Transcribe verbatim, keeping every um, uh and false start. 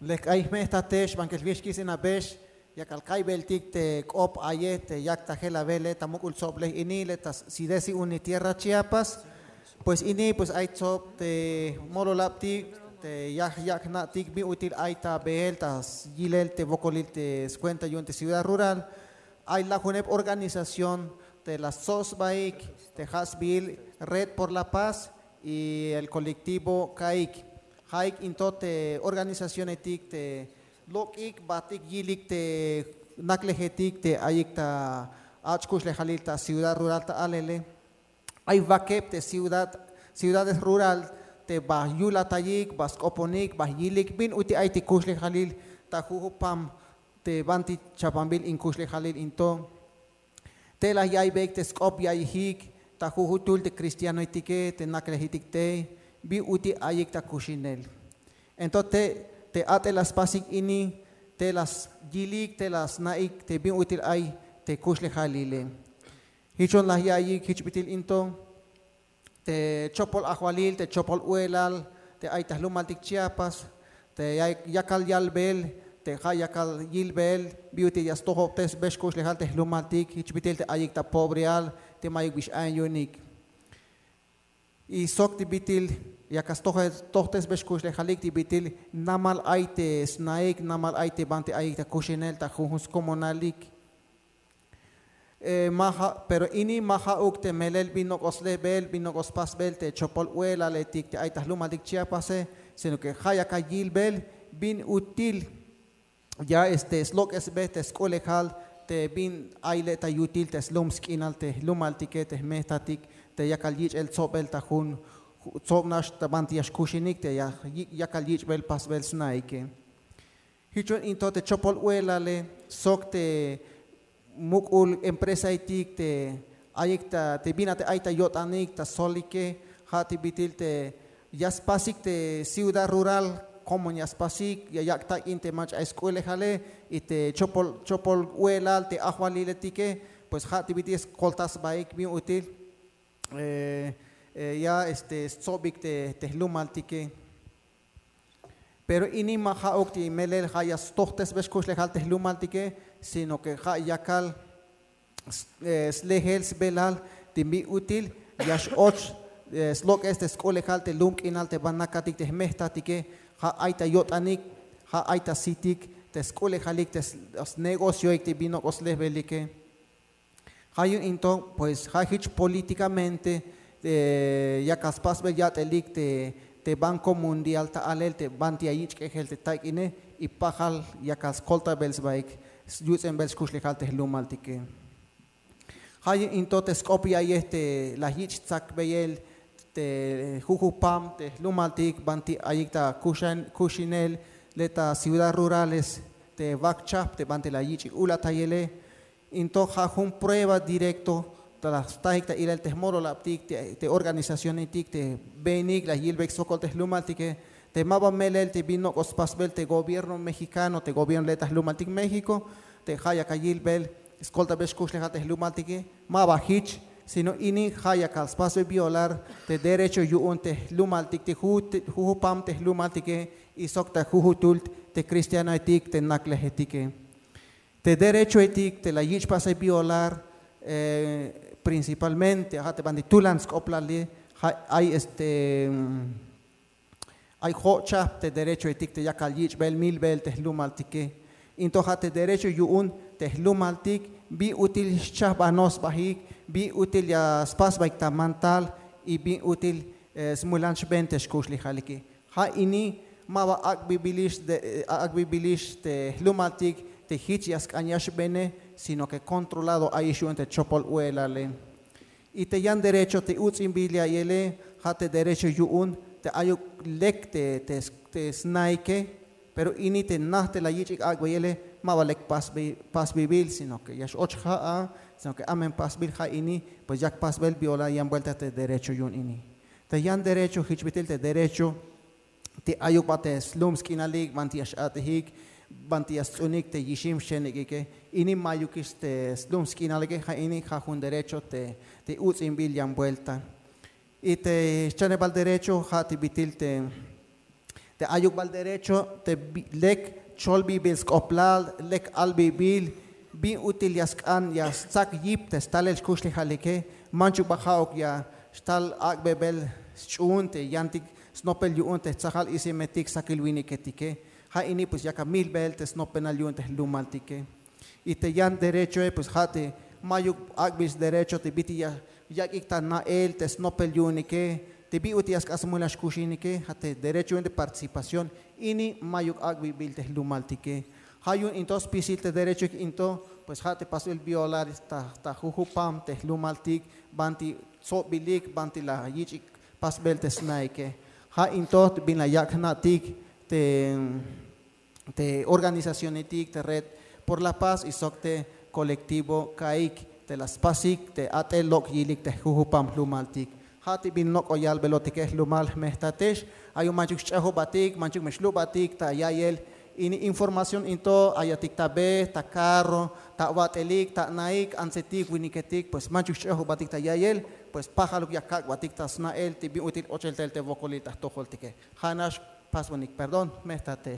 Lek ay jme'jtatex bankel wix kis inabex, yakal kaybeltik te k'op aye te yak ta jelawele ta muk'ul tsoblej ini le ta sidesi uni tierra Chiapas. Pues ini pues ay tsob te mololabtik te yaj yak' jna'tik bin util ay ta beel ta yilel te wokolil te skuenta yu'un te ciudad rural. Ay lajuneb organización te la stsob sbaik te ja' sbiil Red por la Paz y el colectivo Kaik. Jaik into te organizacionetik te lok'ik batik yilik te naklejetik te ayik ta ach' kuxlejalil ta ciudad rural ta alele. Ay wakeb te ciudad, ciudades rural te ba yulatayik ba sk'oponik ba yilik bin uti ay te kuxlejalil ta jujupam te banti chapanbil in kuxlejalil into. Te la yaybeyik te sk'op ya'iyjik ta jujutul te cristianoetike te naklejetik te bin uti ayik ta kuxinel. Entonces te a'tel la spasik ini te la yilik te la sna'ik te bin util ay te kuxlejalile. Jichon la ya'iyik jich bit'il into te chopol ajwalil te chopol u'elal te ay ta jlumaltik Chiapas te yakal yalbel te ja' yakal yilbel bin util ya stojobtesbel xkuxlejal te jlumaltik jich bit'il te ayik ta pobreal te mayuk bix ayon yu'unik. Y sok ti bit'il yakal stojtesbel xkuxlejalik ti bit'il namal ay te sna'ik namal ay te banti ayik ta kuxinel ta jujun skomonalik. Ma ja' pero ini ma ja'uk te melel bin nok'o slejbel bin nok'o spasbel te chopol u'elaletik te ay ta jlumaltik Chiapase, sino ke ja' yakal yilbel bin util ya este slok'esbe te sk'ulejal te bin ay le' ta yutil te slum sk'inal te jlumaltike te jme'jtatik te yakal yich'el tsobel ta jun tsob nax ta banti ya xkuxinik te yakal yich'bel pasbel sna'ike. Jichon into te chopol u'elale sok te muk'ul empresaetik te ayik ta te bin a te ay ta yo'tanik ta solike ja' te bit'il te ya spasik te ciudad rural, komon ya spasik ya yak' tak'in te mach'a ay sk'ulejale y te chopol chopol u'elal te ajwaliletike pues ja' te bit'il ya skolta sbaik bin util ya este stsobik te jlumaltike. Pero ini ma ja'uk ti melel ja' ya stojtesbel xkuxlejal te jlumaltike, sino ke ja' yakal slejel sbelal te bin util ya x'och slok'es te sk'ulejal te lum k'inal te ban nakatik te jme'jtatike. Ja' ay ta yo'tanik, ja' ay ta sitik te sk'ulejalik te snegocioik te bin nok'o slejbelike. Ja' yu'un into pues ja' jich polítikamente yakal spasbel yat'elik te banko mundial ta alel te banti ya yich' k'ejel te tak'ine y pajal yakal skoltabel sbaik yuts'inbel xkuxlejal te jlumaltike. Ja' yu'un into te sk'op ya'iyej te la yich' tsakbeyel te jujupam te jlumaltik banti ayik ta kuxinel le' ta ciudad rurales te wak chajp te banti la yich'ik ulatayele. Into ja' jun prueba directo ta la stajik ta ilel te jmololabtik te organizacionetik te beenik la yilbeyik sokol te jlumaltike te ma ba melel te bin nok'o spasbel te gobierno mexicano te gobierno le' ta jlumaltik México te ja' yakal yilbel skoltabel xkuxlejal te jlumaltike. Ma ba jich sino ini ja' yakal spasbel violar te derecho yu'un te jlumaltik te jujupam te jlumaltike y sok ta jujutul te cristianoetik te naklejetike. Te derechoetik te la yich' pasel violar principalmente ja' te banti tulan sk'oplale ja' ay este ay jo'chajp te derechoetik te yakal yich'bel milbel te jlumaltike. Into ja' te derecho yu'un te jlumaltik bin util xchajbanoj sbajik, bin util ya spasbaik ta mantal y bin util smulan xben te xkuxlejalike. Ja' ini ma ba ak'bibilix te jlumaltik te jich ya sk'an ya xbene, sino ke kontrolado ayix yu'un te chopol u'elale. Y te yan derecho te uts'inbil ya'iyele ja' te derecho yu'un te ayuk lek te sna'ike. Pero ini te najt te la yich'ik ak'beyele ma ba lek pasbibil sino ke ya x'och ja'a, sino ke amen pasbil ja' ini pues yak pasbel violar yan buelta te derecho yu'un ini. Te yan derecho jich bit'il te derecho te ayuk ba te slum sk'inalik banti ya x'at'ejik, banti ya sts'unik te yixim xchenek'ike. Ini ma'yukix te slum sk'inalike ja' ini ja' jun derecho te uts'inbil yan buelta. Y te xchanebal derecho ja' te bit'il te Te ayuk bal derecho te lek cholbibil sk'oblal, lek albibil bin ut'il ya sk'an ya stsak yip te stalel xkuxlejalike. Manchuk ba ja'uk ya xtal ak'bebel sch'uhun te yantik snopel yu'un te tsajal isimetik sakil winiketike. Ja' ini pues yak amilbel te snopenal yu'un te jlumaltike. Y te yan derechoe pues ja' te mayuk ak'bil sderecho te bit'il ya yak'ik ta na'el te snopel yu'unike, te bin ut'il ya sk'an smulal xkuxinike, ja' te derecho yu'un te participación. Ini mayuk ak'bibil te jlumaltike. Ja' yu'un in to spisil te derechoik in to, pues ja' te pasbil violar ta jujupam te jlumaltik, banti tsobilik, banti la yich'ik pasbel te sna'ike. Ja' in to bin la yak' jna'tik te te organizacionetik te Red por la Paz y sok te kolektivo kaik te la spasik te at'el lok' yilik te jujupam jlumaltik. Ja' te bin nok'o yalbelotike jlumal, jmejtatex. Ay yu'un manchuk sch'ejobatik, manchuk me xlubatik ta ya'iyel. Ini información in to ayatik ta be, ta karro, ta awat'elik, ta ana'ik, antsetik, winiketik, pues manchuk sch'ejobatik ta ya'iyel. Pues pajaluk ya kak'batik ta sna'el te bin ut'il ochel tel te wokolil ta jtojoltike. Ja' nax pasbonik perdón, jmejtatex.